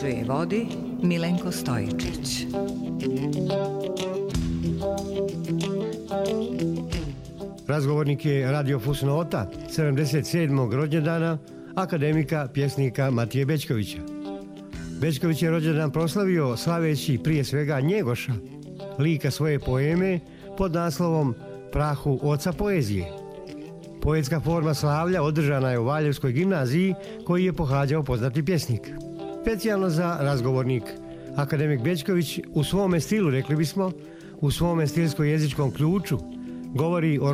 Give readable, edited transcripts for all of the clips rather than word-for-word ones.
uređuje i vodi Milenko Stojičić. Razgovornik je Radio Fusnota 77. rođendana akademika pjesnika Matije Bećkovića. Bećković je rođendan proslavio slaveći prije svega Njegoša, lika svoje poeme pod naslovom Prahu oca poezije. Poetska forma slavlja održana je u Valjevskoj gimnaziji koji je pohađao poznati pjesnik. Specijalno za razgovornik, akademik Bećković u svome stilu, rekli bismo, u svome stilsko-jezičkom ključu, govori o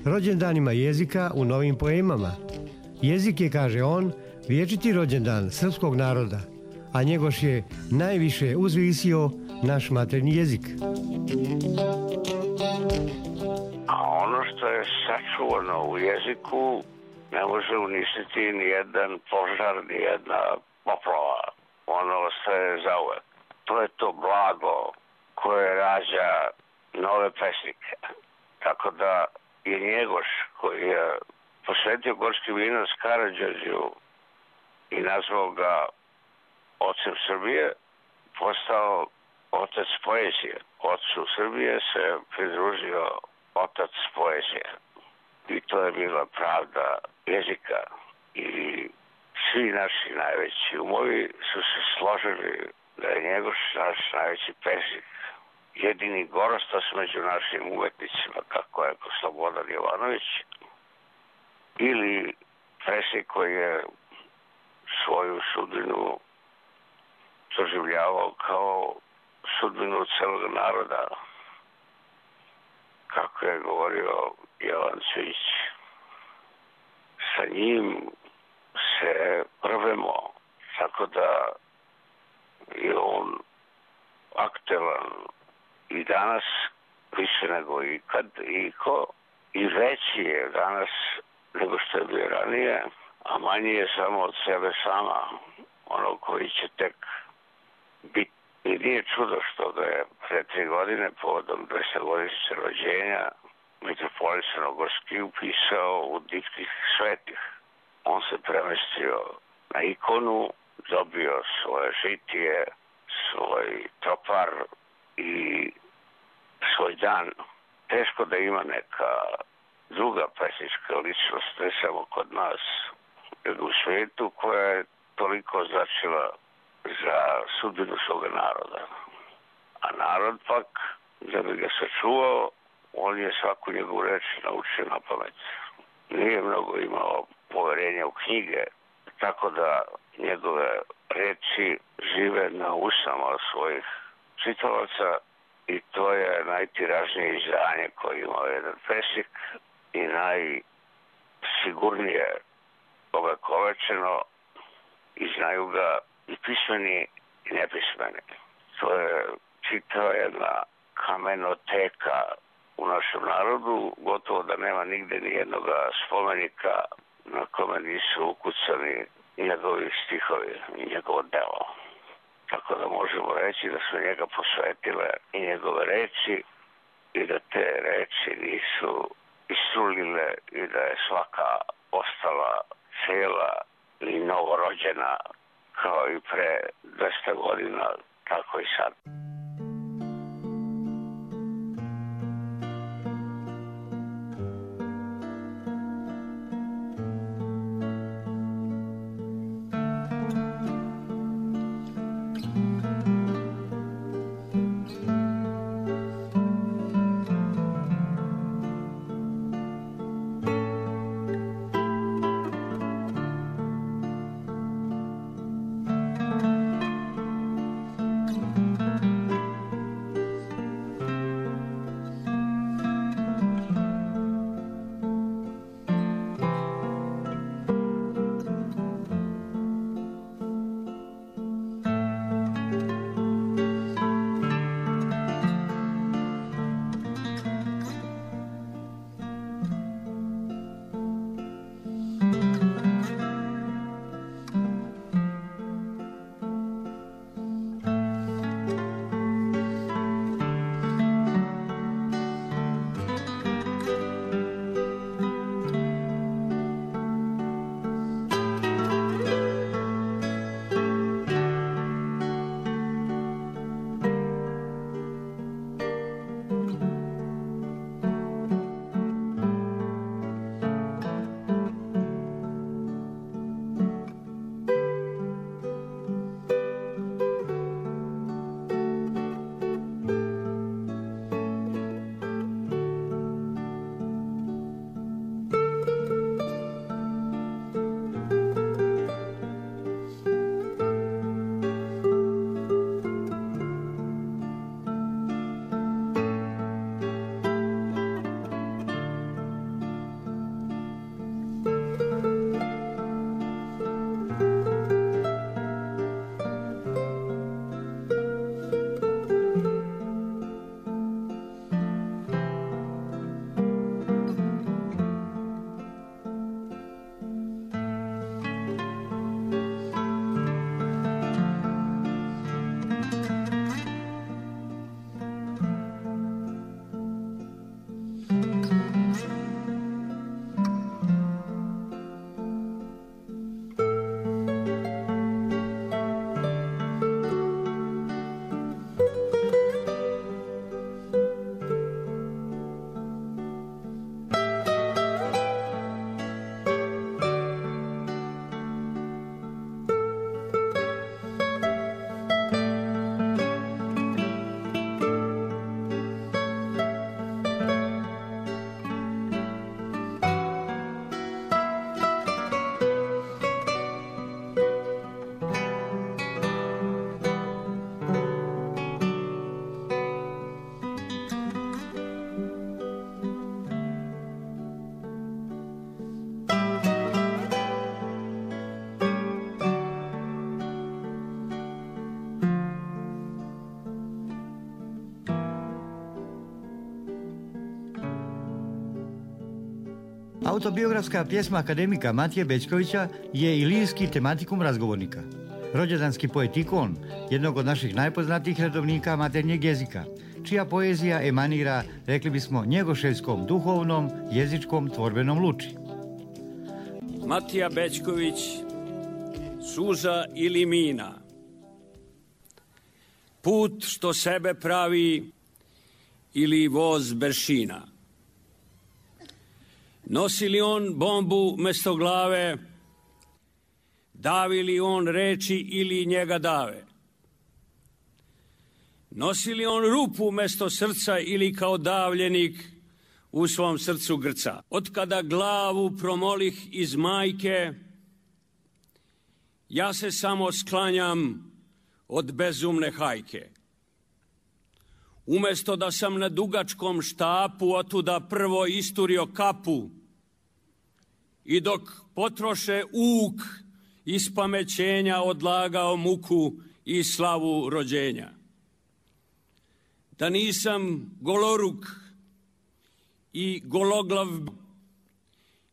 rođendanima jezika u novim poemama. Jezik je, kaže on, vječiti rođendan srpskog naroda, a Njegoš je najviše uzvisio naš maternji jezik. A ono što je sačuvano u jeziku ne može uništiti ni jedan požar, ni jedna poplava. Ono ostaje zauvek. To je to blago koje rađa nove pesnike. Tako da je Njegoš, koji je posvetio Gorski vinac Karađorđu i nazvao ga ocem Srbije, postao otac poezije. Ocu Srbije se pridružio otac poezije. I to je bila pravda jezika. I svi naši najveći umovi su se složili da je Njegoš naš najveći pesnik. Jedini gorostas među našim umetnicima, kako je Slobodan Jovanović, ili pesnik koji je svoju sudbinu doživljavao kao sudbinu celog naroda, kako je govorio Jovan Cvijić. Sa njim se prvemo, tako da je on aktuelan i danas više nego ikad iko, i veći je danas nego što je bio ranije, a manji je samo od sebe sama, ono koji će tek biti. I nije čudo što ga je pre 3 godine povodom 200-godišnjice rođenja Mitropolita Novogorski upisao u Diptih svetih. On se premestio na ikonu, dobio svoje žitije, svoj tropar i svoj dan. Teško da ima neka druga pesnička ličnost, ne samo kod nas, nego u svijetu, koja je toliko značila za sudbinu svoga naroda. A narod pak, da bi ga sačuvao, on je svaku njegovu reč naučio na pamet. Nije mnogo imao poverenja u knjige, tako da njegove reči žive na usama svojih čitalaca i to je najtiražnije izdanje koje imao jedan pesnik i najsigurnije ovekovečeno i znaju ga i pismeni i nepismeni. To je čitava jedna kamenoteka u našem narodu, gotovo da nema nigde ni jednog spomenika na kome nisu ukucani njegovi stihovi i njegovo delo. Tako da možemo reći da su njega posvetile i njegove reči i da te reči nisu istrulile i da je svaka ostala cela i novorođena kao i pre 200 godina, tako i sad. Autobiografska pjesma akademika Matije Bećkovića je i lirski tematikum razgovornika. Rođendanski poetikon, jednog od naših najpoznatijih redovnika maternjeg jezika, čija poezija emanira, rekli bismo, njegoševskom duhovnom, jezičkom, tvorbenom luči. Matija Bećković, suza ili mina. Put što sebe pravi ili voz beršina. Nosi li on bombu mesto glave, davi li on reči ili njega dave? Nosi li on rupu mesto srca ili kao davljenik u svom srcu grca? Od kada glavu promolih iz majke, ja se samo sklanjam od bezumne hajke. Umesto da sam na dugačkom štapu otuda prvo isturio kapu i dok potroše uk iz pamećenja odlagao muku i slavu rođenja. Da nisam goloruk i gologlav,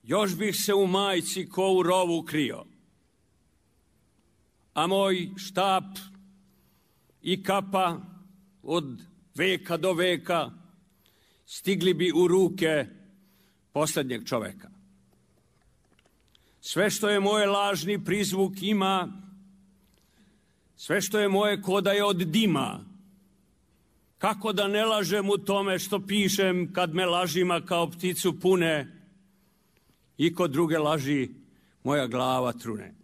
još bih se u majci ko u rovu krio. A moj štap i kapa od veka do veka stigli bi u ruke posljednjeg čoveka. Sve što je moje lažni prizvuk ima, sve što je moje ko da je od dima. Kako da ne lažem u tome što pišem kad me lažima kao pticu pune i kod druge laži moja glava trune.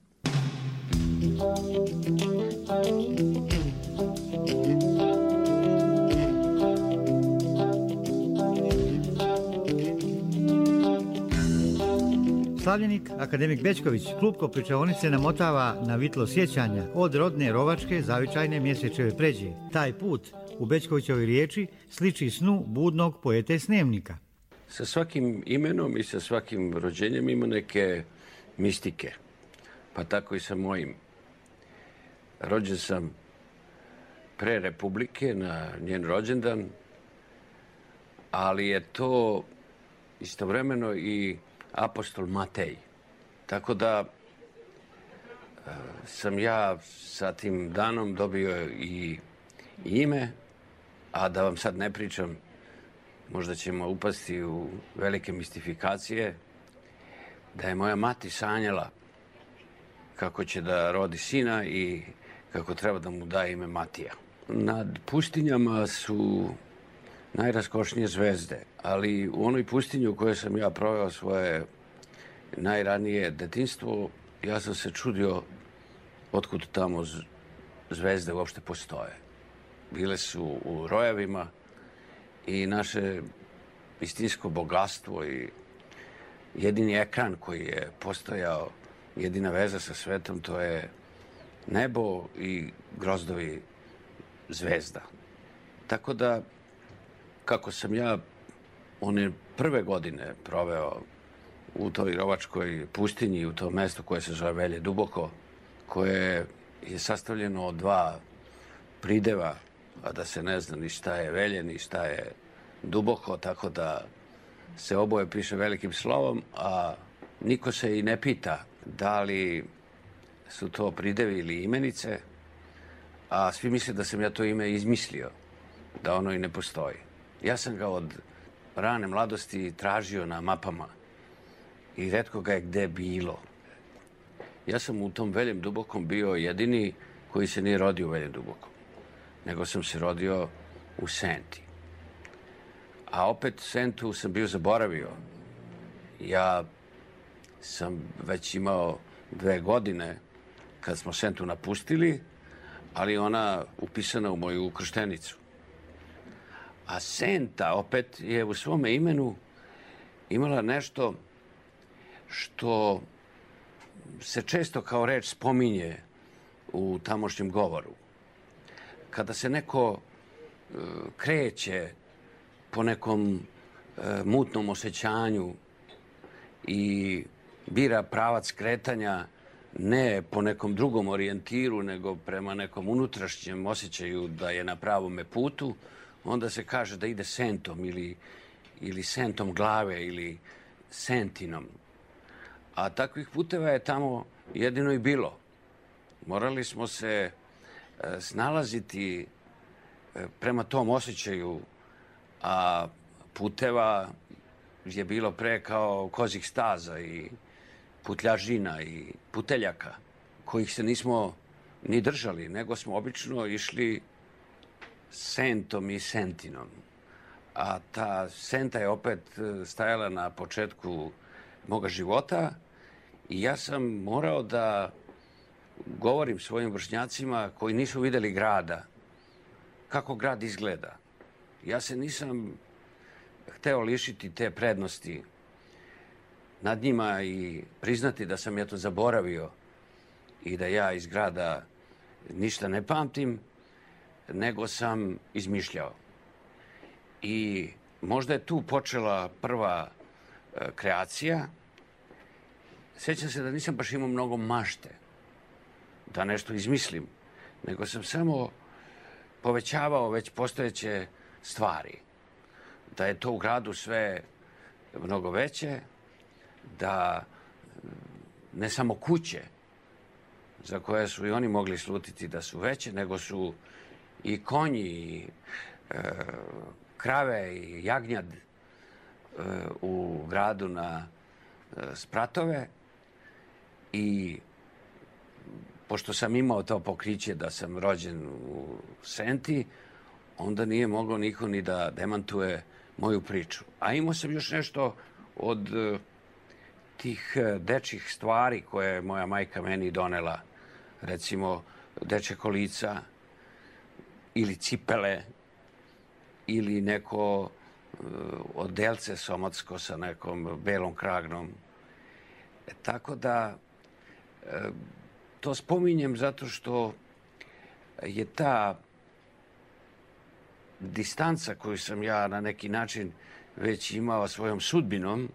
Slavljenik, akademik Bećković, klupko pričaonice namotava na vitlo sjećanja od rodne rovačke zavičajne mjesečeve pređe. Taj put u Bećkovićovoj riječi sliči snu budnog poete Snemnika. Sa svakim imenom i sa svakim rođenjem ima neke mistike, pa tako i sa mojim. Rođen sam pre Republike na njen rođendan, ali je to istovremeno i apostol Matej. Tako da sam ja sa tim danom dobio i ime, a da vam sad ne pričam, možda ćemo upasti u velike mistifikacije, da je moja mati sanjala kako će da rodi sina i kako treba da mu da ime Matija. Nad pustinjama su najraskošnije zvezde, ali u onoj pustinji u kojoj sam ja proveo svoje najranije detinjstvo, ja sam se čudio otkud tamo zvezde uopšte postoje. Bile su u rojevima i naše istinsko bogatstvo i jedini ekran koji je postojao, jedina veza sa svetom, to je nebo i grozdovi zvezda. Tako da, kako sam ja one prve godine proveo u toj rovačkoj pustinji, u tom mestu koje se zove Velje Duboko, koje je sastavljeno od dva prideva, a da se ne zna ni šta je Velje, ni šta je Duboko, tako da se oboje piše velikim slovom, a niko se i ne pita da li su to pridevi ili imenice, a svi misle da sam ja to ime izmislio, da ono i ne postoji. Ja sam ga od rane mladosti tražio na mapama i retko ga je gde bilo. Ja sam u tom Veljem Dubokom bio jedini koji se nije rodio u Veljem Dubokom, nego sam se rodio u Senti. A opet Sentu sam bio zaboravio. Ja sam već imao 2 godine kad smo Sentu napustili, ali ona upisana u moju krštenicu. A Senta opet je u svome imenu imala nešto što se često kao reč spominje u tamošnjem govoru. Kada se neko kreće po nekom mutnom osjećanju i bira pravac kretanja ne po nekom drugom orijentiru, nego prema nekom unutrašnjem osjećaju da je na pravome putu, onda se kaže da ide sentom ili sentom glave ili Sentinom. A takvih puteva je tamo jedino i bilo. Morali smo se snalaziti prema tom osjećaju, a puteva je bilo pre kao kozih staza i putljažina i puteljaka, kojih se nismo ni držali, nego smo obično išli sentom i sentinom. A ta senta je opet stajala na početku moga života i ja sam morao da govorim svojim vršnjacima koji nisu videli grada, kako grad izgleda. Ja se nisam hteo lišiti te prednosti nad njima i priznati da sam ja to zaboravio i da ja iz grada ništa ne pamtim, nego sam izmišljao. I možda je tu počela prva kreacija. Sjećam se da nisam baš imao mnogo mašte da nešto izmislim, nego sam samo povećavao već postojeće stvari. Da je to u gradu sve mnogo veće, da ne samo kuće za koje su i oni mogli slutiti da su veće, nego su i konji, i krave i jagnjad u gradu na spratove. I pošto sam imao to pokriće da sam rođen u Senti, onda nije mogao niko ni da demantuje moju priču. A imao sam još nešto od tih dečjih stvari koje je moja majka meni donela. Recimo, dečje kolica ili cipele ili neko odelce somotsko sa nekom belom kragnom. Tako da to spominjem zato što je ta distanca koju sam ja na neki način već imao svojom sudbinom,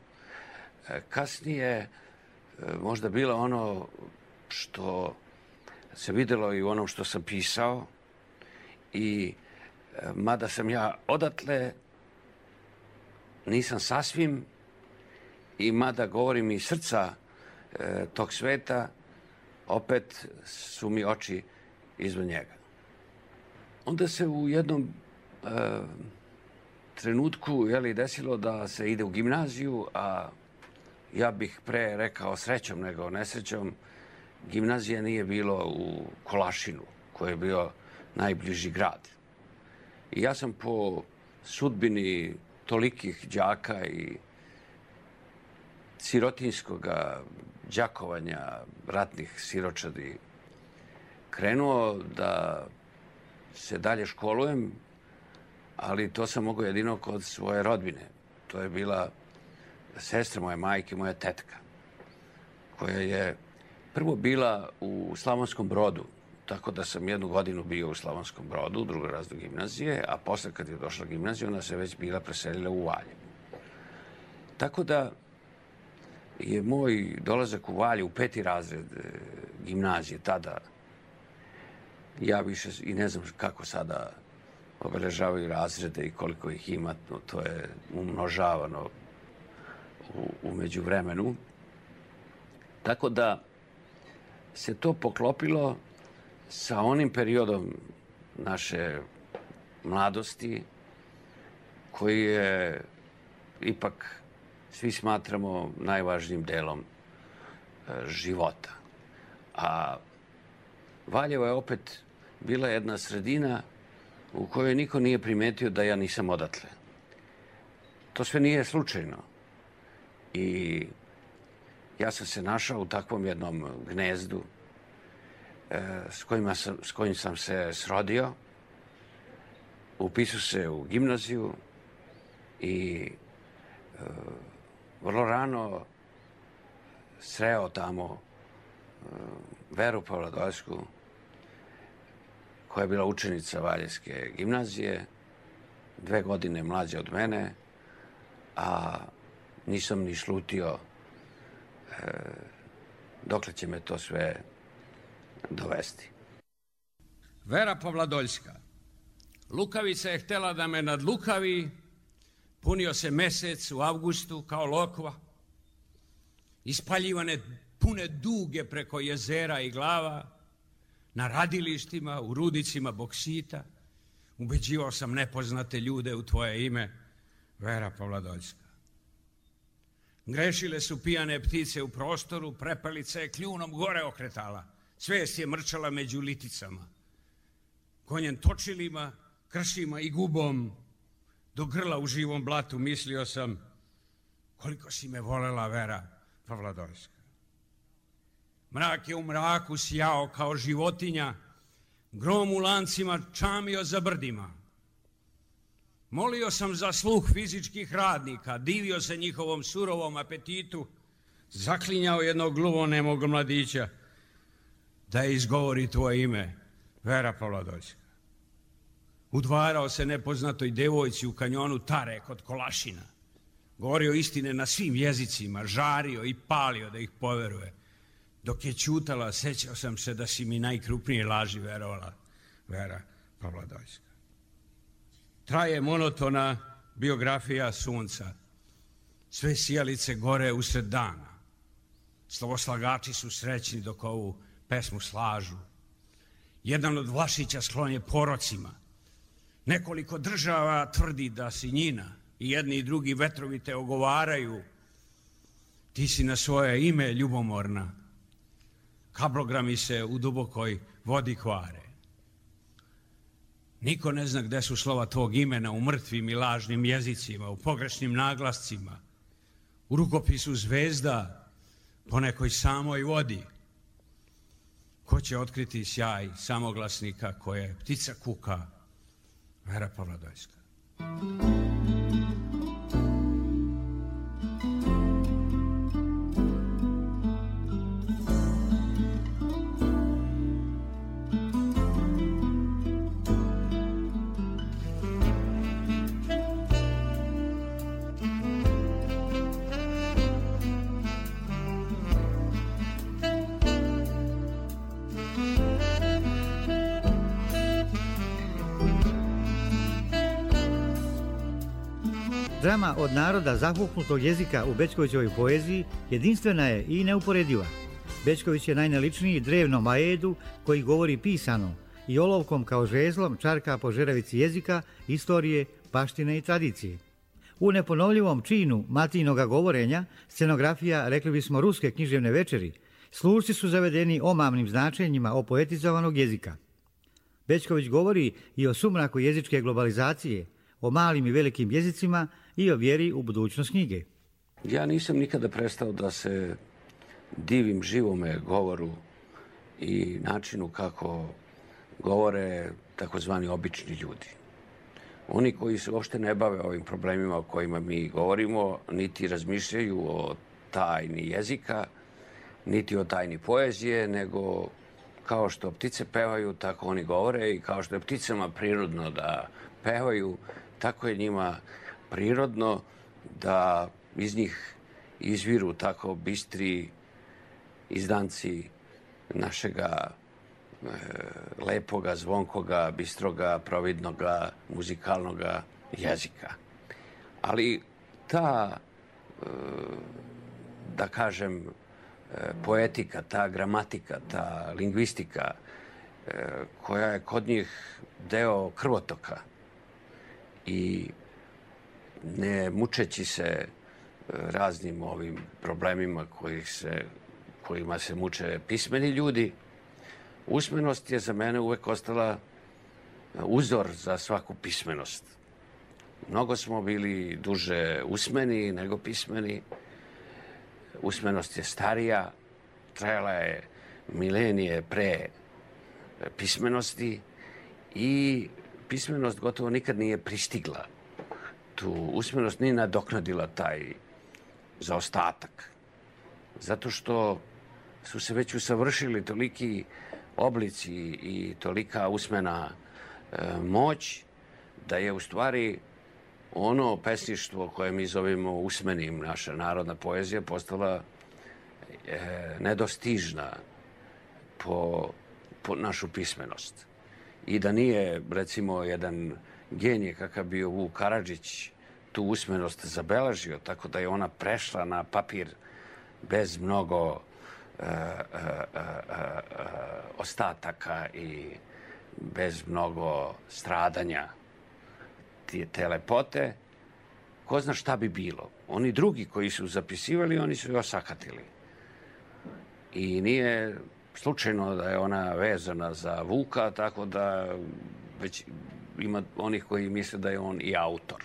kasnije možda bila ono što se videlo i u onom što sam pisao i mada sam ja odatle, nisam sasvim i mada govorim iz srca tog sveta, opet su mi oči izvan njega. Onda se u jednom trenutku desilo da se ide u gimnaziju, a ja bih pre rekao srećom nego nesrećom, gimnazija nije bilo u Kolašinu, koji je bio najbliži grad. I ja sam po sudbini tolikih đaka i sirotinskog đakovanja ratnih siročadi krenuo da se dalje školujem, ali to sam mogao jedino kod svoje rodbine. To je bila sestra moje majke, moja tetka, koja je prvo bila u Slavonskom Brodu, tako da sam 1 godinu bio u Slavonskom Brodu, u 2. razredu gimnazije, a posle kad je došla gimnazija, ona se već bila preselila u Valjevo. Tako da je moj dolazak u Valjevo u 5. razred gimnazije tada, ja više i ne znam kako sada obeležavaju razrede i koliko ih ima, to je umnožavano u međuvremenu. Tako da se to poklopilo sa onim periodom naše mladosti koji je ipak svi smatramo najvažnijim delom života. A Valjevo je opet bila jedna sredina u kojoj niko nije primetio da ja nisam odatle. To sve nije slučajno. I ja sam se našao u takvom jednom gnezdu s kojim sam se srodio. Upisao se u gimnaziju i vrlo rano sreo tamo Veru Pavladoljsku, koja je bila učenica Valjevske gimnazije, 2 godine mlađa od mene, a nisam ni slutio dokle će me to sve dovesti. Vera Pavladoljska. Lukavica je htela da me nadlukavi, punio se mesec u avgustu kao lokva, ispaljivane pune duge preko jezera i glava, na radilištima, u rudnicima boksita. Ubeđivao sam nepoznate ljude u tvoje ime, Vera Pavladoljska. Grešile su pijane ptice u prostoru, prepelica je kljunom gore okretala, svest je mrčala među liticama. Konjem točilima, kršima i gubom, do grla u živom blatu mislio sam koliko si me volela, Vera Pavladoljska. Mrak je u mraku sjao kao životinja, grom u lancima čamio za brdima. Molio sam za sluh fizičkih radnika, divio se njihovom surovom apetitu, zaklinjao jednog gluvonemog mladića da izgovori tvoje ime, Vera Pavladoljska. Udvarao se nepoznatoj devojci u kanjonu Tare kod Kolašina. Govorio istine na svim jezicima, žario i palio da ih poveruje. Dok je ćutala, sećao sam se da si mi najkrupnije laži verovala, Vera Pavladoljska. Traje monotona biografija sunca. Sve sijalice gore usred dana. Slovoslagači su srećni dok ovu pesmu slažu. Jedan od Vlašića sklon je porocima. Nekoliko država tvrdi da si njina i jedni i drugi vetrovi te ogovaraju. Ti si na svoje ime ljubomorna. Kablogrami se u dubokoj vodi kvare. Niko ne zna gde su slova tvog imena u mrtvim i lažnim jezicima, u pogrešnim naglascima, u rukopisu zvezda, po nekoj samoj vodi. Ko će otkriti sjaj samoglasnika koje ptica kuka, Vera Pavladoljska. Drama od naroda zahuknutog jezika u Bećkovićevoj poeziji jedinstvena je i neuporediva. Bećković je najnaličniji drevnom aedu koji govori pisano i olovkom kao žezlom čarka po žeravici jezika, istorije, baštine i tradicije. U neponovljivom činu Matijinoga govorenja, scenografija, rekli bismo, ruske književne večeri, slušci su zavedeni omamnim značenjima opoetizovanog jezika. Bećković govori i o sumraku jezičke globalizacije, o malim i velikim jezicima i o vjeri u budućnost knjige. Ja nisam nikada prestao da se divim živome govoru i načinu kako govore takozvani obični ljudi. Oni koji se uopšte ne bave ovim problemima o kojima mi govorimo, niti razmišljaju o tajni jezika, niti o tajni poezije, nego kao što ptice pevaju, tako oni govore, i kao što je pticama prirodno da pevaju, tako je njima prirodno da iz njih izviru tako bistri izdanci našega lepoga, zvonkoga, bistroga, providnoga, muzikalnoga jezika. Ali ta, da kažem, poetika, ta gramatika, ta lingvistika, koja je kod njih deo krvotoka, i ne mučeći se raznim ovim problemima kojima se muče pismeni ljudi, usmenost je za mene uvek ostala uzor za svaku pismenost. Mnogo smo bili duže usmeni nego pismeni. Usmenost je starija, trajala je milenije pre pismenosti i pismenost gotovo nikad nije pristigla. Tu usmenost nije nadoknadila taj zaostatak. Zato što su se već usavršili toliki oblici i tolika usmena moć, da je u stvari ono pesništvo koje mi zovemo usmenim, naša narodna poezija, postala nedostižna po našu pismenost. I da nije, recimo, jedan genije kakav bio Vuk Karadžić tu usmenost zabeležio, tako da je ona prešla na papir bez mnogo ostataka i bez mnogo stradanja te lepote, ko zna šta bi bilo. Oni drugi koji su zapisivali, oni su je osakatili. I nije slučajno da je ona vezana za Vuka, tako da već ima onih koji misle da je on i autor.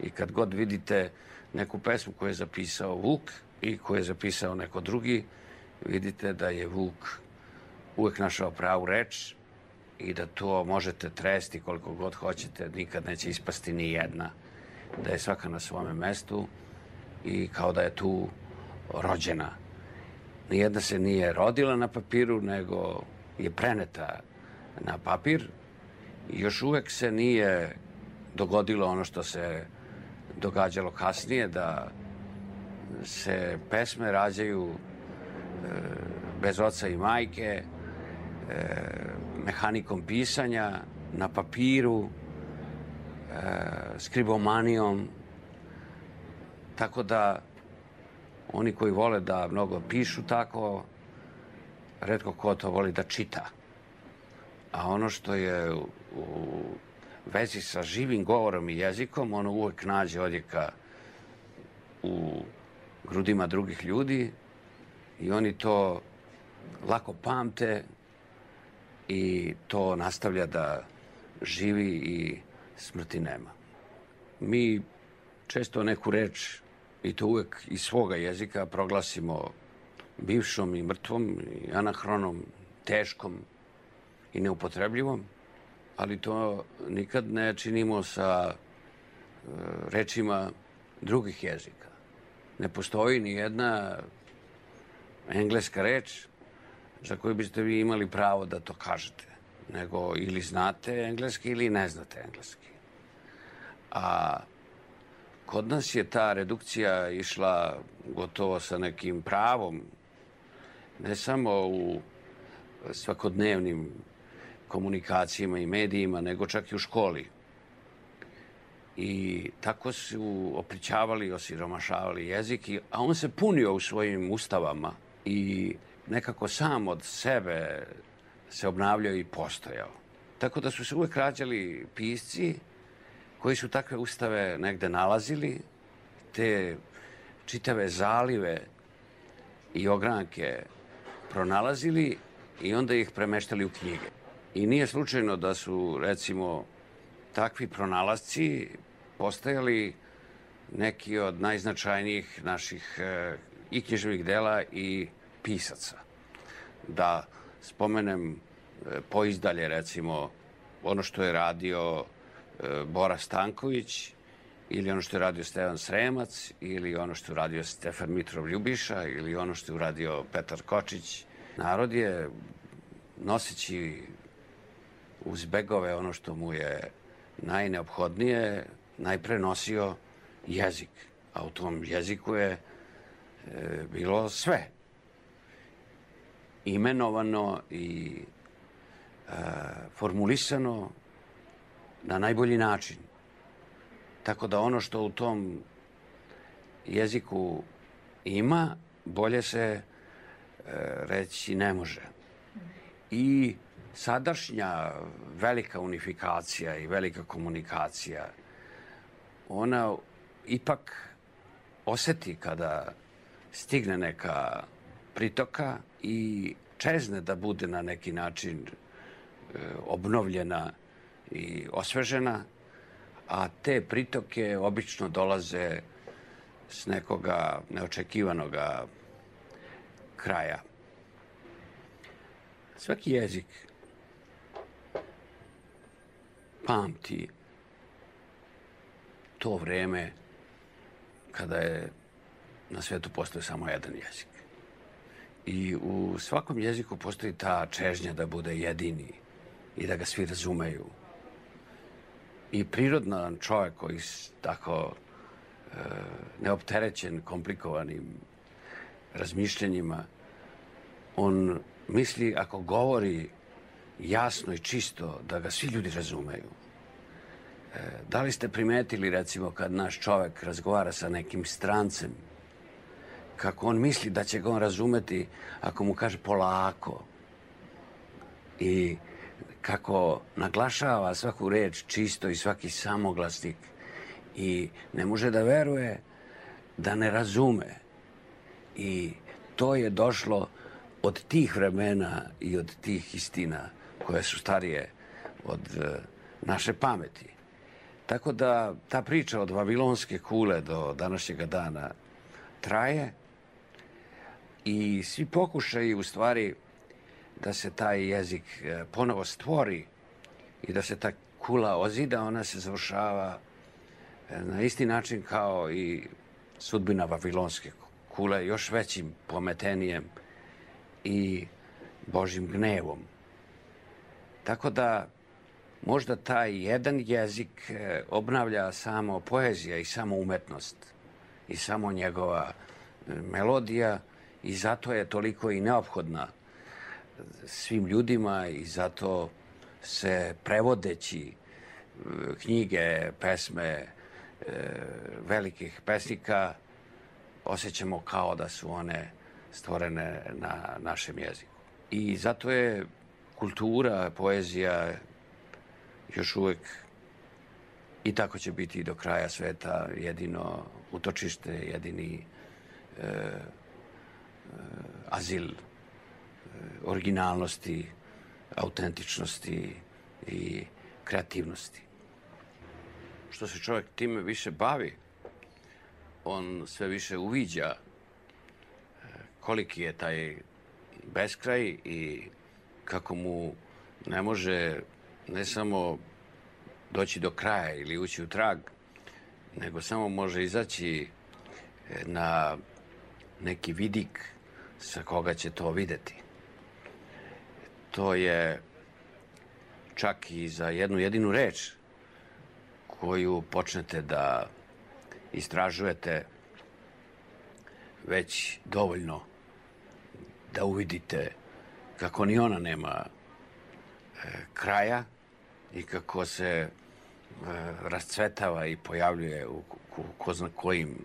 I kad god vidite neku pesmu koju je zapisao Vuk i koju je zapisao neko drugi, vidite da je Vuk uvek našao pravu reč i da to možete tresti koliko god hoćete, nikad neće ispasti ni jedna, da je svaka na svome mestu i kao da je tu rođena. Nijedna se nije rodila na papiru, nego je preneta na papir i još uvek se nije dogodilo ono što se događalo kasnije, da se pesme rađaju bez oca i majke, mehanikom pisanja, na papiru, skribomanijom. Tako da oni koji vole da mnogo pišu tako, retko ko to voli da čita. A ono što je u vezi sa živim govorom i jezikom, ono uvek nađe odjeka u grudima drugih ljudi i oni to lako pamte i to nastavlja da živi i smrti nema. Mi često neku reč, i to uvek iz svoga jezika, proglasimo bivšom i mrtvom, i anahronom, teškom i neupotrebljivom, ali to nikad ne činimo sa rečima drugih jezika. Ne postoji ni jedna engleska reč za koju biste vi imali pravo da to kažete, nego ili znate engleski ili ne znate engleski. A kod nas je ta redukcija išla gotovo sa nekim pravom, ne samo u svakodnevnim komunikacijama i medijima, nego čak i u školi. I tako su oplićavali, osiromašavali jezik, a on se punio u svojim ustavama i nekako sam od sebe se obnavljao i postojao. Tako da su se uvek rađali pisci koji su takve ustave negde nalazili, te čitave zalive i ogranke pronalazili i onda ih premeštali u knjige. I nije slučajno da su, recimo, takvi pronalasci postajali neki od najznačajnijih naših i književnih dela i pisaca. Da spomenem poizdalje, recimo, ono što je radio Bora Stanković, ili ono što je radio Stevan Sremac, ili ono što je radio Stefan Mitrov Ljubiša, ili ono što je uradio Petar Kočić. Narod je, noseći uz begove ono što mu je najneophodnije, najpre nosio jezik. A u tom jeziku je bilo sve. Imenovano i formulisano na najbolji način. Tako da ono što u tom jeziku ima, bolje se reći ne može. I sadašnja velika unifikacija i velika komunikacija, ona ipak oseti kada stigne neka pritoka i čezne da bude na neki način obnovljena i osvežena, a te pritoke obično dolaze s nekoga neočekivanoga kraja. Svaki jezik pamti to vreme kada je na svetu postojao samo jedan jezik. I u svakom jeziku postoji ta čežnja da bude jedini i da ga svi razumeju. I prirodan čovjek koji je tako neopterećen komplikovanim razmišljanjima, on misli ako govori jasno i čisto da ga svi ljudi razumeju. Da li ste primetili, recimo, kad naš čovjek razgovara sa nekim strancem, kako on misli da će ga on razumeti ako mu kaže polako. I kako naglašava svaku reč čisto i svaki samoglasnik. I ne može da veruje da ne razume. I to je došlo od tih vremena i od tih istina koje su starije od naše pameti. Tako da ta priča od Vavilonske kule do današnjega dana traje i svi pokušaju u stvari da se taj jezik ponovo stvori i da se ta kula ozida, ona se završava na isti način kao i sudbina Vavilonske kule, još većim pometenijem i Božjim gnevom. Tako da možda taj jedan jezik obnavlja samo poezija i samo umetnost i samo njegova melodija i zato je toliko i neophodna svim ljudima i zato se prevodeći knjige, pesme velikih pesnika osjećamo kao da su one stvorene na našem jeziku. I zato je kultura, poezija još uvek i tako će biti i do kraja sveta jedino utočište, jedini azil originalnosti, autentičnosti i kreativnosti. Što se čovjek time više bavi, on sve više uviđa koliki je taj beskraj i kako mu ne može ne samo doći do kraja ili ući u trag, nego samo može izaći na neki vidik sa koga će to videti. To je čak i za jednu jedinu reč koju počnete da istražujete već dovoljno da uvidite kako ni ona nema kraja i kako se rascvetava i pojavljuje u ko zna kojim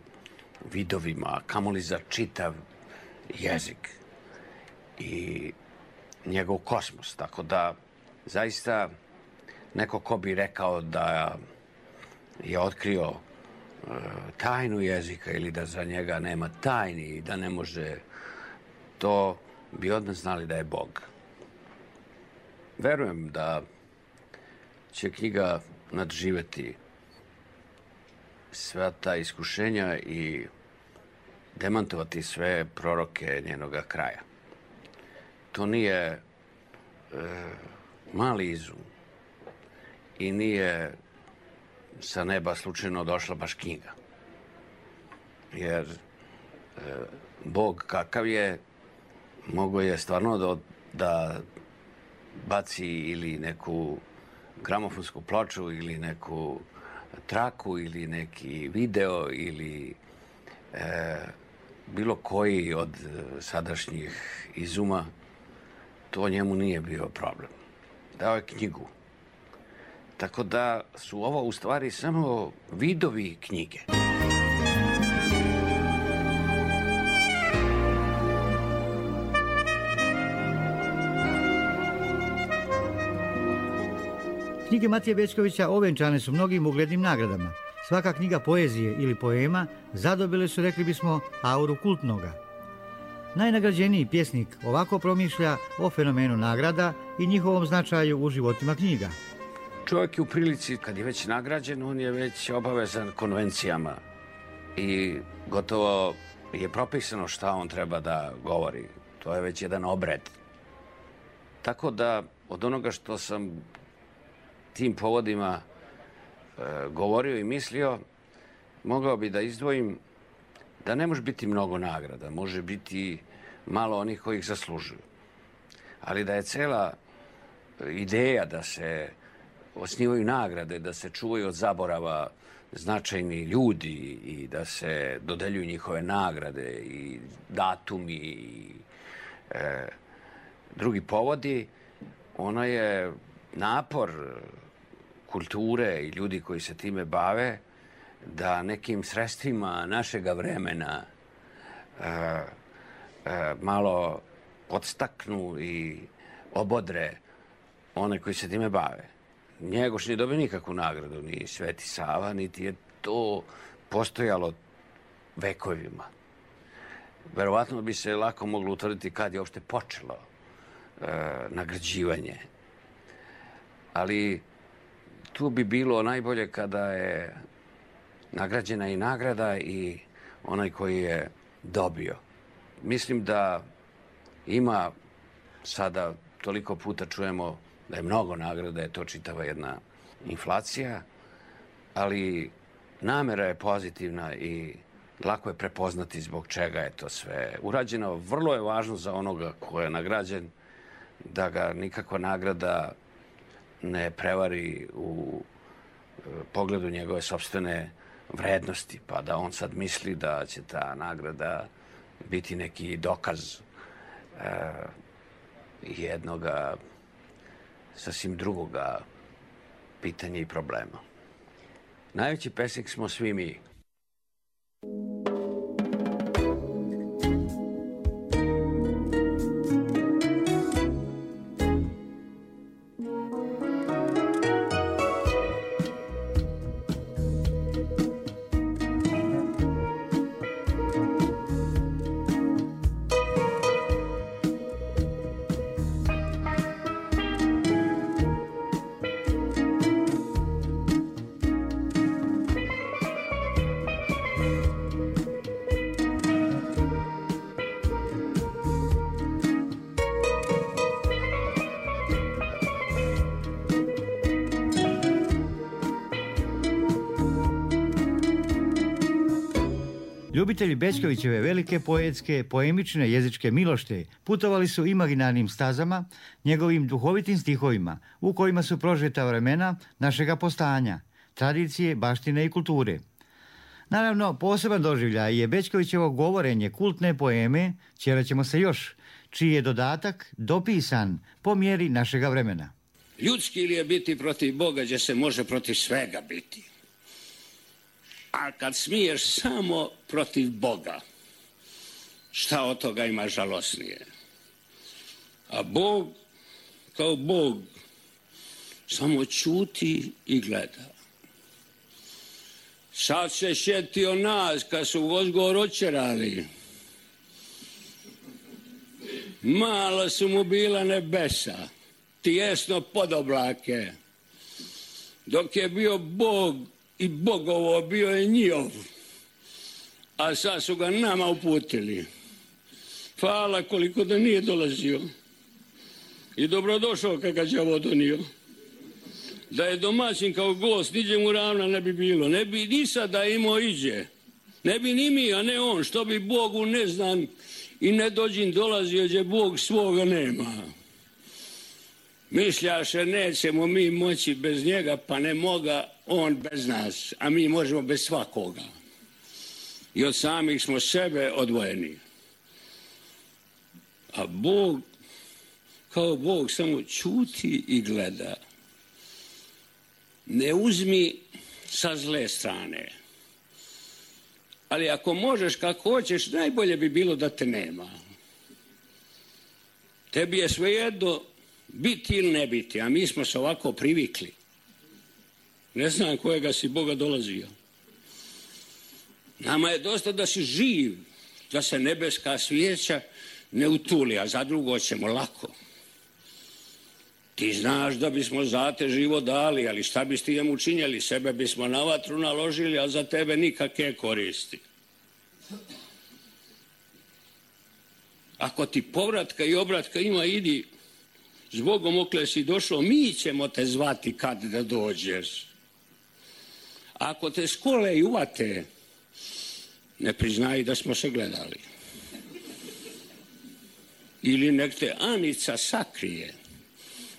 vidovima, kamoli za čitav jezik i njegov kosmos. Tako da zaista neko ko bi rekao da je otkrio tajnu jezika ili da za njega nema tajni i da ne može, to bi odmah znali da je Bog. Verujem da će knjiga nadživeti sva ta iskušenja i demantovati sve proroke njenoga kraja. To nije mali izum i nije sa neba slučajno došla baš knjiga. Jer Bog kakav je, mogao je stvarno da baci ili neku gramofonsku ploču ili neku traku ili neki video ili bilo koji od sadašnjih izuma, to njemu nije bio problem. Dao je knjigu. Tako da su ovo u stvari samo vidovi knjige. Knjige Matije Bećkovića ovenčane su mnogim uglednim nagradama. Svaka knjiga poezije ili poema zadobile su, rekli bismo, auru kultnoga. Najnagrađeniji pjesnik ovako promišlja o fenomenu nagrada i njihovom značaju u životima knjiga. Čovjek je u prilici, kad je već nagrađen, on je već obavezan konvencijama i gotovo je propisano šta on treba da govori. To je već jedan obred. Tako da od onoga što sam tim povodima govorio i mislio, mogao bi da izdvojim da ne može biti mnogo nagrada, može biti malo onih koji ih zaslužuju. Ali da je cela ideja da se osnivaju nagrade, da se čuvaju od zaborava značajni ljudi i da se dodeljuju njihove nagrade i datumi i drugi povodi, ono je napor kulture i ljudi koji se time bave da nekim sredstvima našega vremena malo podstaknu i obodre one koji se time bave. Njegoš nije dobio nikakvu nagradu, ni Sveti Sava, niti je to postojalo vekovima. Verovatno bi se lako moglo utvrditi kad je uopšte počelo nagrađivanje. Ali tu bi bilo najbolje kada je nagrađena i nagrada i onaj koji je dobio. Mislim da ima sada, toliko puta čujemo da je mnogo nagrada, je to čitava jedna inflacija, ali namera je pozitivna i lako je prepoznati zbog čega je to sve urađeno. Vrlo je važno za onoga ko je nagrađen da ga nikakva nagrada ne prevari u pogledu njegove sopstvene vrednosti, pa da on sad misli da će ta nagrada biti neki dokaz jednoga sasvim drugoga pitanja i problema. Najveći pesnik smo svi mi. Ljubitelji Bećkovićeve velike poetske, poemične jezičke milošte putovali su imaginarnim stazama, njegovim duhovitim stihovima, u kojima su prožeta vremena našega postojanja, tradicije, baštine i kulture. Naravno, poseban doživljaj je Bećkovićevo govorenje kultne poeme Ćeraćemo se još, čiji je dodatak dopisan po mjeri našega vremena. Ljudski li je biti protiv Boga, gdje se može protiv svega biti? A kad smiješ samo protiv Boga, šta od toga ima žalosnije? A Bog, kao Bog, samo ćuti i gleda. Sad se sjetio nas kad su Gozgor očerali. Malo su mu bila nebesa, tijesno pod oblake. Dok je bio Bog i Bogovo, bio je njihov, a sad su ga nama uputili. Hvala koliko da nije dolazio i dobrodošao kad ga đavo donio. Da je domaćin kao gost, niđe mu ravna ne bi bilo, ne bi ni sada imao iđe, ne bi ni mi, a ne on, što bi Bogu ne znam i ne dođin dolazio gdje Bog svoga nema. Mišljaše nećemo mi moći bez njega, pa ne moga on bez nas, a mi možemo bez svakoga. I od samih smo sebe odvojeni. A Bog, kao Bog, samo ćuti i gleda. Ne uzmi sa zle strane. Ali ako možeš kako hoćeš, najbolje bi bilo da te nema. Tebi je svejedno biti ili ne biti, a mi smo se ovako privikli. Ne znam kojega si Boga dolazio. Nama je dosta da si živ, da se nebeska svijeća ne utuli, a za drugo ćemo lako. Ti znaš da bismo za te živo dali, ali šta bi ti njemu učinjeli? Sebe bismo na vatru naložili, a za tebe nikakve koristi. Ako ti povratka i obratka ima, idi, zbogom okle si došao, mi ćemo te zvati kad da dođeš. Ako te skole i uvate, ne priznaj da smo se gledali. Ili nek te Anica sakrije,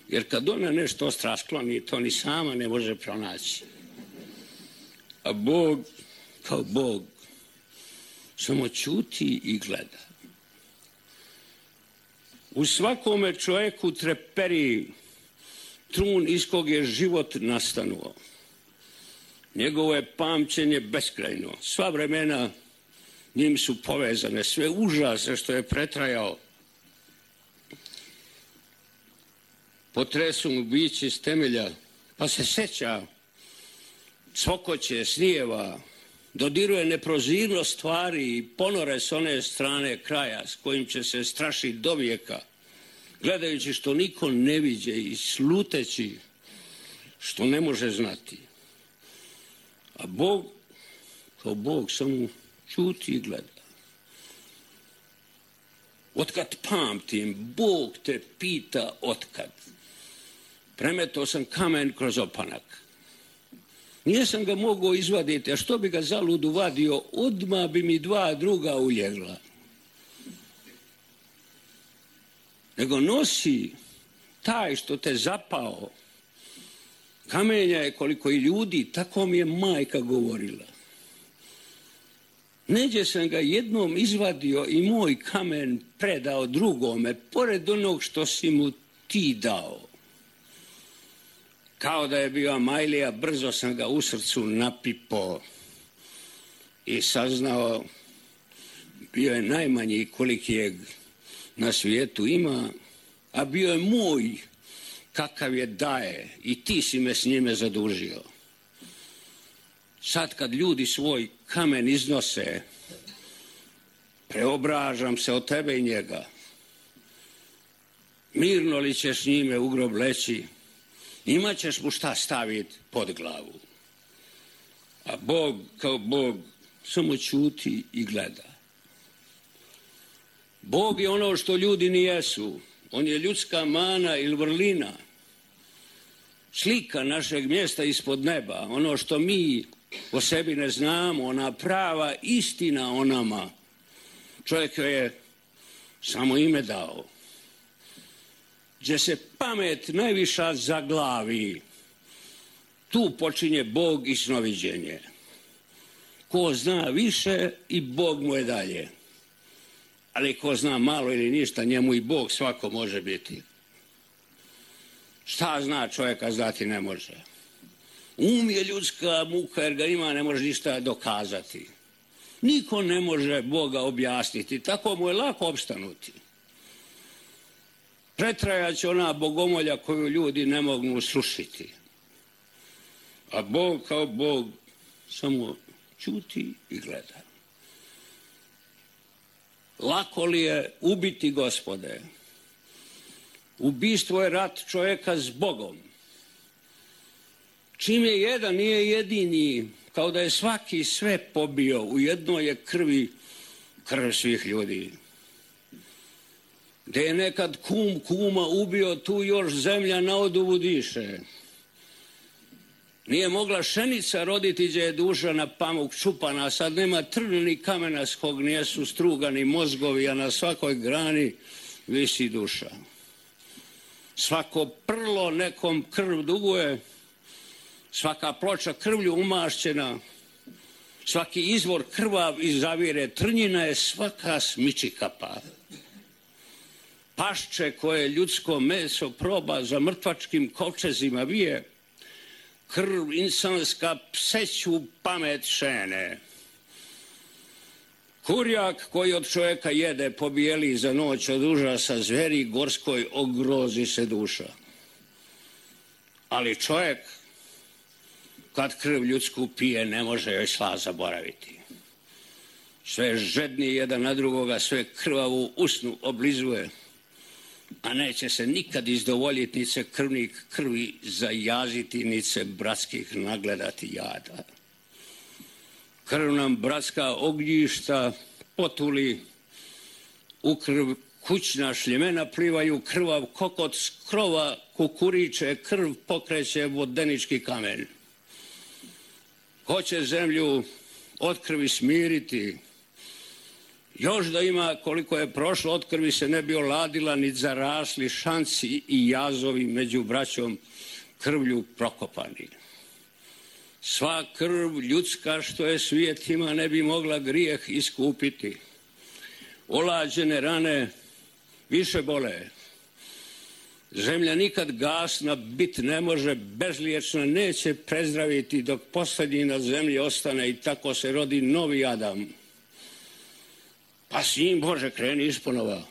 jer kad ona nešto ostra skloni, to ni sama ne može pronaći. A Bog, kao Bog, samo ćuti i gleda. U svakome čovjeku treperi trun iz kog je život nastanuo. Njegovo je pamćenje beskrajno. Sva vremena njim su povezane sve užase što je pretrajao. Potresu mu bići iz temelja, pa se seća cvokoće, snijeva, dodiruje neprozirnost stvari i ponore s one strane kraja s kojim će se strašiti do vijeka, gledajući što niko ne viđe i sluteći što ne može znati. A Bog, kao Bog, samo čuti i gleda. Otkad pamtim, Bog te pita otkad. Premetao sam kamen kroz opanak. Nijesam ga mogao izvaditi, a što bi ga zaludu vadio, odmah bi mi dva druga uljegla. Nego nosi taj što te zapao. Kamenja je koliko i ljudi, tako mi je majka govorila. Neđe sam ga jednom izvadio i moj kamen predao drugome, pored onog što si mu ti dao. Kao da je bio Amajlija, brzo sam ga u srcu napipao i saznao, bio je najmanji koliki je na svijetu ima, a bio je moj kakav je daje i ti si me s njime zadužio. Sad kad ljudi svoj kamen iznose, preobražam se od tebe i njega. Mirno li ćeš njime u grob leći, imat ćeš mu šta staviti pod glavu. A Bog kao Bog samo ćuti i gleda. Bog je ono što ljudi nijesu. On je ljudska mana ili vrlina. Slika našeg mjesta ispod neba. Ono što mi o sebi ne znamo. Ona prava istina o nama. Čovjek je samo ime dao. Gdje se pamet najviša zaglavi, tu počinje Bog i snoviđenje. Ko zna više i Bog mu je dalje. Ali ko zna malo ili ništa, njemu i Bog svako može biti. Šta zna čovjeka znati ne može. Um je ljudska muka jer ga ima, ne može ništa dokazati. Niko ne može Boga objasniti, tako mu je lako opstanuti. Pretrajat će ona bogomolja koju ljudi ne mogu srušiti. A Bog kao Bog samo ćuti i gleda. Lako li je ubiti, Gospode? Ubistvo je rat čovjeka s Bogom. Čim je jedan, nije jedini, kao da je svaki sve pobio, u jednoj je krvi krv svih ljudi. Gdje je nekad kum kuma ubio, tu još zemlja na oduvu diše. Nije mogla šenica roditi gdje je duša na pamuk čupana, a sad nema trna ni kamena s kog nijesu strugani mozgovi, a na svakoj grani visi duša. Svako prlo nekom krv duguje, svaka ploča krvlju umašćena, svaki izvor krvav iz zavire trnjina je svaka smiči kapa. Pašče koje ljudsko meso proba za mrtvačkim kovčezima vije, krv insanska pseću pamet šene. Kurjak koji od čovjeka jede pobijeli za noć od užasa zveri gorskoj ogrozi se duša. Ali čovjek kad krv ljudsku pije ne može joj sla zaboraviti. Sve žedni jedan na drugoga, sve krvavu usnu oblizuje, a neće se nikad izdovoljiti nice krvnik krvi zajaziti, nice bratskih nagledati jada. Krv nam bratska ognjišta potuli, u krv kućna šljemena plivaju, krvav kokot s krova kukuriče, krv pokreće vodenički kamen. Hoće zemlju od krvi smiriti, još da ima koliko je prošlo od krvi se ne bi oladila, ni zarasli šanci i jazovi među braćom krvlju prokopani. Sva krv ljudska što je svijet ima ne bi mogla grijeh iskupiti. Olađene rane više bole. Zemlja nikad gasna bit ne može, bezliječna neće prezdraviti dok posljednji na zemlji ostane i tako se rodi novi Adam. Pa s njim, Bože, kreni isponova.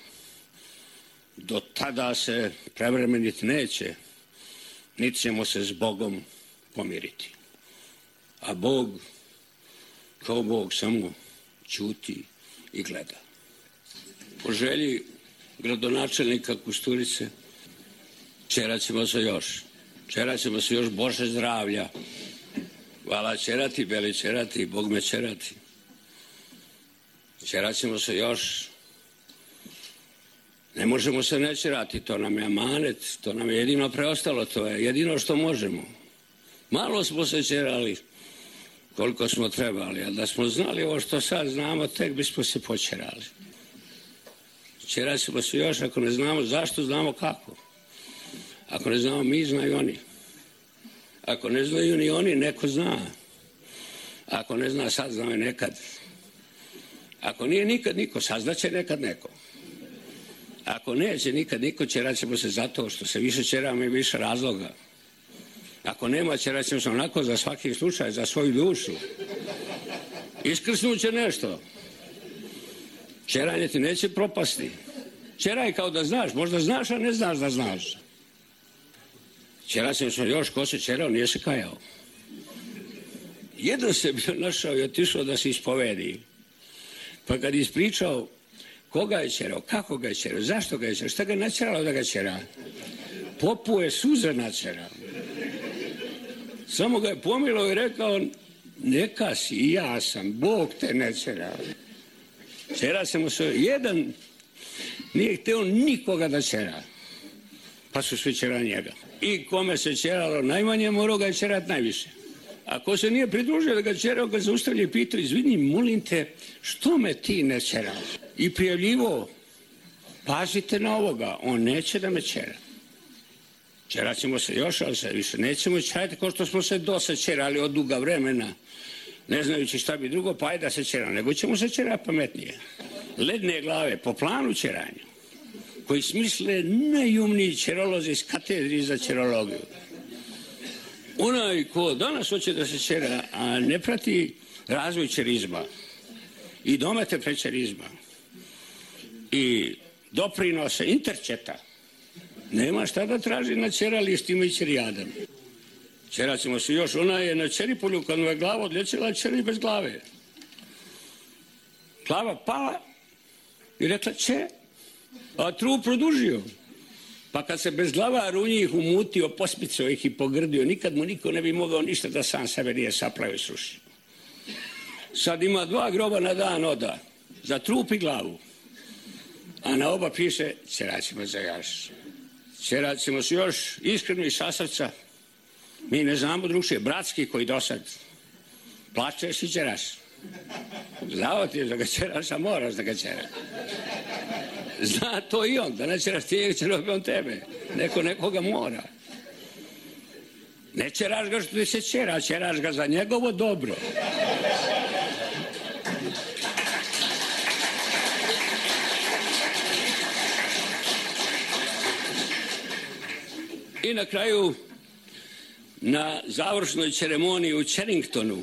Do tada se prevremeniti neće, niti ćemo se s Bogom pomiriti. A Bog, kao Bog, samo ćuti i gleda. Po želji gradonačelnika Kusturice, čeraćemo se još. Čeraćemo se još, Bože zdravlja. Hvala čerati, beli čerati, Bog me čerati. Čeraćemo se još. Ne možemo se ne čerati, to nam je amanet, to nam je jedino preostalo, to je jedino što možemo. Malo smo se čerali koliko smo trebali, a da smo znali ovo što sad znamo, tek bismo se počerali. Čeraćemo se još, ako ne znamo zašto, znamo kako. Ako ne znamo mi, znaju oni. Ako ne znaju ni oni, neko zna. Ako ne zna sad, znao je nekad. Ako nije nikad niko, saznaće nekad neko. Ako neće nikad niko, čeraćemo se zato što se više čeramo i više razloga. Ako nema, čeraćemo se onako za svaki slučaj, za svoju dušu. Iskrsnuće nešto. Čeranje ti neće propasti. Čeraj kao da znaš, možda znaš, a ne znaš da znaš. Čeraćemo se još, ko se čerao, nije se kajao. Jedan se bio našao i otišao da se ispovedi. Pa kad je ispričao koga je čerao, kako ga je čerao, zašto ga je čerao, šta ga je načeralo da ga čera? Popu je suze načerao. Samo ga je pomilo i rekao, neka si, i ja sam, Bog te ne čerao. Čera se mu se, jedan nije hteo nikoga da čera. Pa su svi čerali njega. I kome se čeralo najmanje, morao ga je čerati najviše. Ako se nije pridružio da ga čerao, ga zaustavlja i pitao, izvini, molim te, što me ti ne čeraš? I prijavljivo, pazite na ovoga, on neće da me čera. Čeraćemo se još, ali se više nećemo čerati kao što smo se dosad čerali od duga vremena, ne znajući šta bi drugo, pa je da se čera, nego ćemo se čerati pametnije. Ledne glave, po planu čeranja, koji smisle najumniji čerolozi iz katedri za čerologiju. Onaj ko danas hoće da se čera, a ne prati razvoj čerizma i domete prečerizma i doprinose interčeta, nema šta da traži na čeralistima i čerijadama. Čeraćemo se još, ona je na Čeripolju kad mu je glava odlječila, čeri bez glave. Glava pala i rekla če, a trup produžio. Pa kad se bez glava runji ih umutio, pospicao ih i pogrdio, nikad mu niko ne bi mogao ništa da sam sebe nije saplao i srušio. Sad ima 2 groba na dan oda, za trup i glavu. A na oba piše, čeraćemo se još. Čeraćemo se još iskreno i sa srca. Mi ne znamo drugšije, bratski koji dosad plačeš i čeraš. Znao ti je da ga čeraš, a moraš da ga čeraš. Zna to i on, da ne čeraš ti, će robi on tebe. Neko nekoga mora. Ne čeraš ga što ti se čera, čeraš ga za njegovo dobro. I na kraju, na završnoj ceremoniji u Čeringtonu,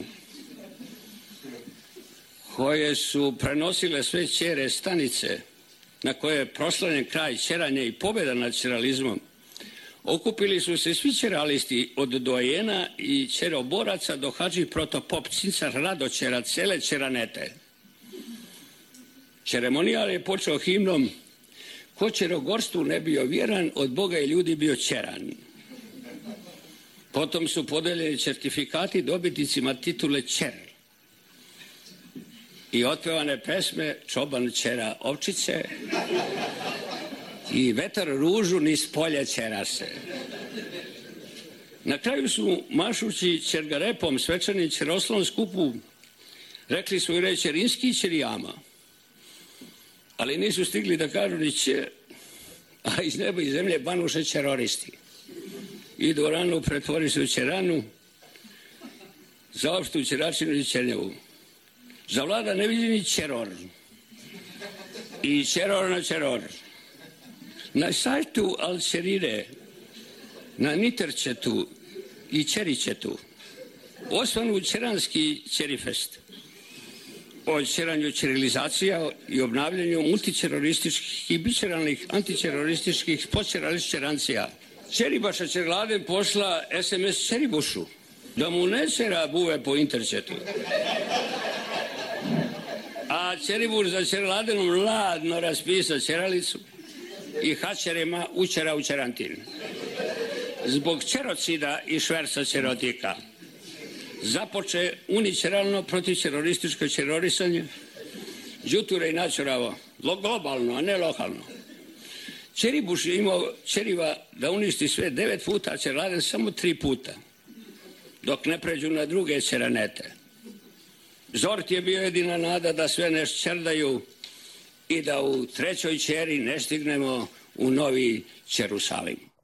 koje su prenosile sve ćere stanice, na koje je proslavljen kraj ćeranja i pobjeda nad ćeralizmom, okupili su se svi ćeralisti od dojena i ćeroboraca do hadži protopop cincar Radoćera, cele ćeranete. Ceremonijal je počeo himnom ko ćerogorstvu ne bio vjeran, od Boga i ljudi bio ćeran. Potom su podeljeni certifikati dobitnicima titule ćer i otpevane pesme Čoban ćera ovčice i Vetar ružu niz polje ćera se. Na kraju su mašući ćergarepom svečanim ćeroslavom skupu rekli svoju reč ćerinski i ćerijama, ali nisu stigli da kažu ni će, a iz neba i zemlje banuše ćeroristi. I dvoranu pretvori se u ćeranu, zaopštu ćeračinu i ćernjavu. Zavlada neviđeni ćeror i ćeror na ćeror. Na sajtu Al-Ćerire, na Niterčetu i Ćeričetu osvanu ćeranski ćerifest. o ćeranju ćirilizacija i obnavljanju multićerorističkih i bićeralnih antiterorističkih počerališćerancija. Ćeribaša Ćerladen posla SMS Ćeribušu da mu ne ćera buve po interčetu. A Ćeribuš za Ćerladenom ladno raspisa ćeralicu i hačerima učera u Ćerantin. Zbog ćerocida i šverca ćerotika započe unićeralno protivćerorističko ćerorisanje đuture i načuravo, globalno, a ne lokalno. Ćeribuš je imao ćeriva da uništi sve 9 puta, a Ćerladen samo 3 puta, dok ne pređu na druge ćeranete. Zort je bio jedina nada da sve ne šćerdaju i da u trećoj ćeri ne stignemo u novi Ćerusalim.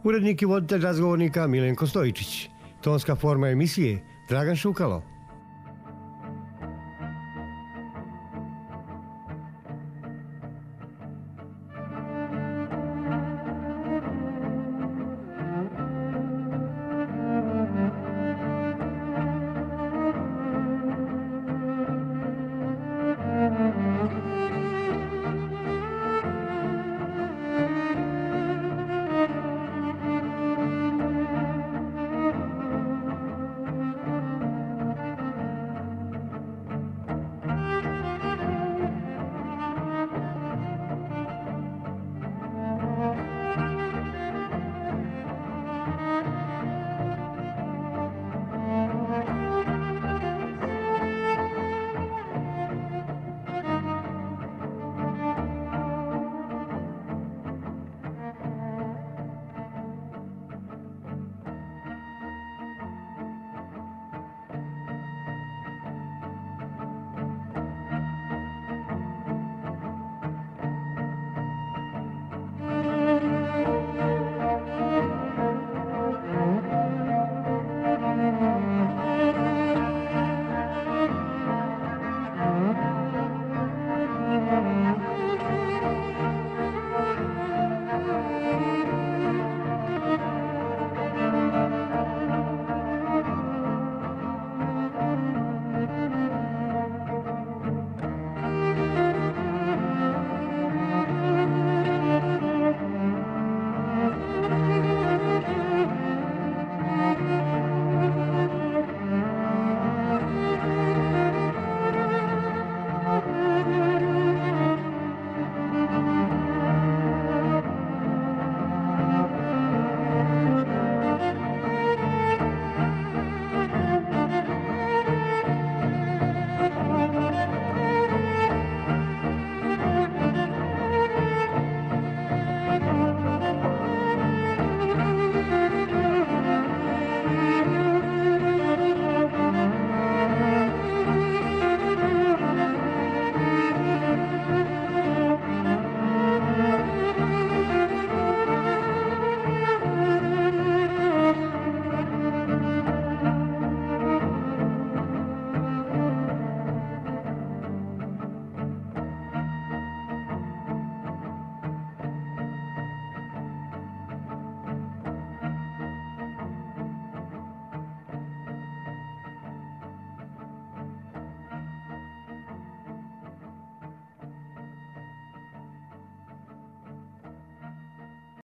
Urednik i voditelj razgovornika Milenko Stojičić. Tonska forma emisije Dragan Šukalo.